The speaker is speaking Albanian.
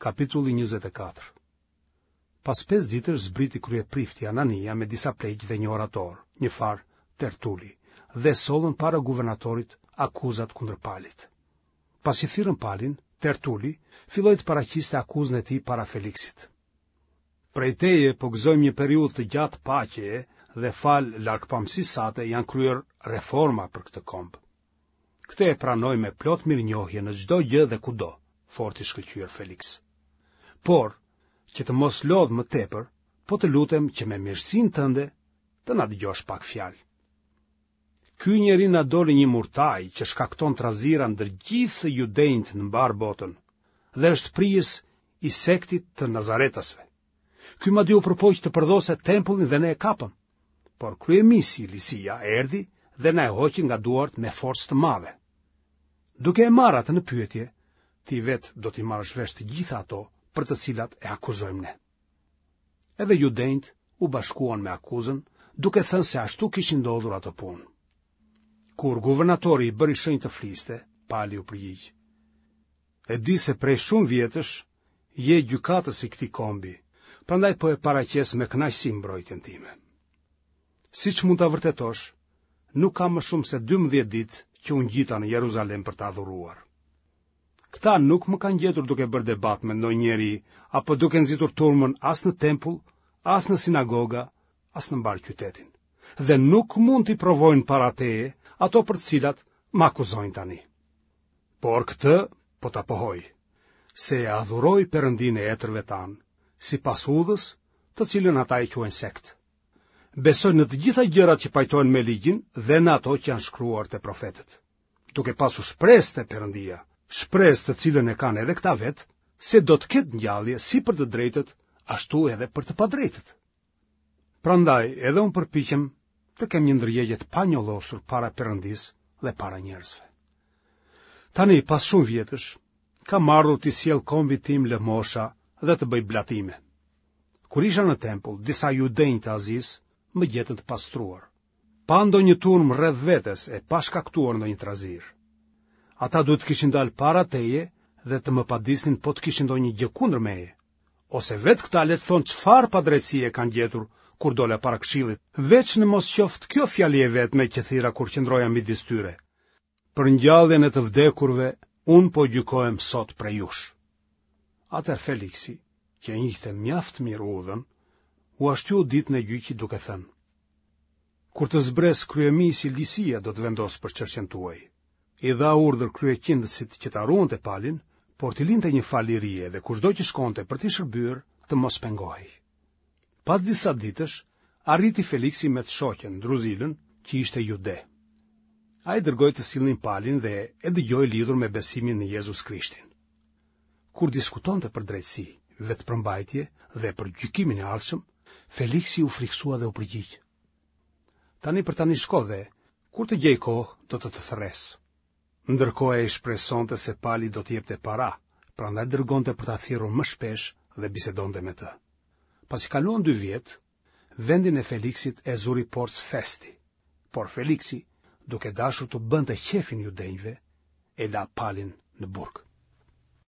Kapitulli 24 Pas pesë ditësh zbriti kryeprifti Anania me disa pleq dhe një orator, njëfarë Tertuli, dhe sollën para guvernatorit akuzat kundër Palit. Pasi thirrën Palin, Tertuli filloi të paraqiste akuzën e tij para Feliksit. Prej teje po gëzojmë një periudhë të gjatë paqeje dhe falë largpamësisë sate janë kryer reforma për këtë komb. Këtë e pranoj me plot mirënjohje në çdo gjë dhe kudo, fort i shkëlqyer Feliks. Por, që të mos lodh më tepër, po të lutem që me mirësinë tënde të na dëgjosh pak fjalë. Ky njeri na doli një murtajë që shkakton trazira ndër gjithë judenjtë në mbarë botën dhe është prijës i sektit të Nazaretasve. Ky madje u përpoq të përdhoste tempullin dhe ne e kapëm. Por kryemisi Lisia erdhi dhe na e hoqi nga duart me forcë të madhe. Duke e marrë atë në pyetje, ti vetë do t'i marrësh vesh të gjitha ato për të cilat e akuzojmë ne. Edhe judenjtë u bashkuan me akuzën, duke thënë se ashtu kishin ndodhur ato punë. Kur guvernatori i bëri shenjë të fliste, Pali u përgjigj. E di se prej shumë vjetësh je gjykatës i këtij kombi, prandaj po e paraqes me kënaqësi mbrojtjen time. Siç mund ta vërtetosh, nuk ka më shumë se 12 ditë që u ngjita në Jeruzalem për të adhuruar. Këta nuk më kanë gjetur duke bërë debat me ndonjë njeri apo duke nxitur turmën as në tempull, as në sinagoga, as në mbarë qytetin. Dhe nuk mund t'i provojnë para teje ato për të cilat më akuzojnë tani. Por këtë po ta pohoj, se e adhuroj Perëndinë e etërve tanë, sipas udhës, të cilën ata e quajnë sekt. Besoj në të gjitha gjërat që pajtohen me ligjin dhe në ato që janë shkruar te profetët. Duke pasur shpresë te Perëndia, shpresë të cilën e kanë edhe këta vetë, se do të ketë ngjallje si për të drejtët, ashtu edhe për të padrejtët. Prandaj edhe unë përpiqem të kem një ndërgjegje të panjollosur para Perëndisë dhe para njerëzve. Tani, pas shumë vjetësh, kam ardhur t'i sjell kombit tim lëmosha dhe të bëj blatime. Kur isha në tempull, disa judenj të Azisë më gjetën të pastruar. Pa ndonjë turmë rreth vetes e pa shkaktuar ndonjë trazirë. Ata duhet të kishin dalë para teje dhe të më padisnin po të kishin ndonjë gjë kundër meje. Ose vetë këta le të thonë çfarë padrejtësie kanë gjetur kur dola para këshillit, veç në mos qoftë kjo fjali e vetme që thirra kur qëndroja midis tyre. Për ngjalljen e të vdekurve, unë po gjykohem sot prej jush. Atëherë Feliksi, që e njihte mjaft mirë udhën, ua shtyu ditën e gjyqit duke thënë: Kur të zbresë kryemisi Lisia do të vendos për çështjen tuaj. I dha urdhër kryeqindësit që ta ruante Palin, por t'i linte një farë lirie dhe kushdo që shkonte për t'i shërbyer të mos pengohej. Pas disa ditësh, arriti Feliksi me të shoqen, Druzilën, që ishte jude. Ai dërgoi të sillnin Palin dhe e dëgjoi lidhur me besimin në Jezus Krishtin. Kur diskutonte për drejtësi, vetëpërmbajtje dhe për gjykimin e ardhshëm, Feliksi u frikësua dhe u përgjigj. Tani për tani shko dhe, kur të gjej kohë, do të të thërras. Ndërkohë ai shpresonte se Pali do t'i jepte para, prandaj dërgonte për ta thirrur më shpesh dhe bisedonte me të. Pasi kaluan dy vjet, vendin e Feliksit e zuri Porc Festi, por Feliksi, duke dashur t'u bënte qejfin judenjve, e la Palin në burg.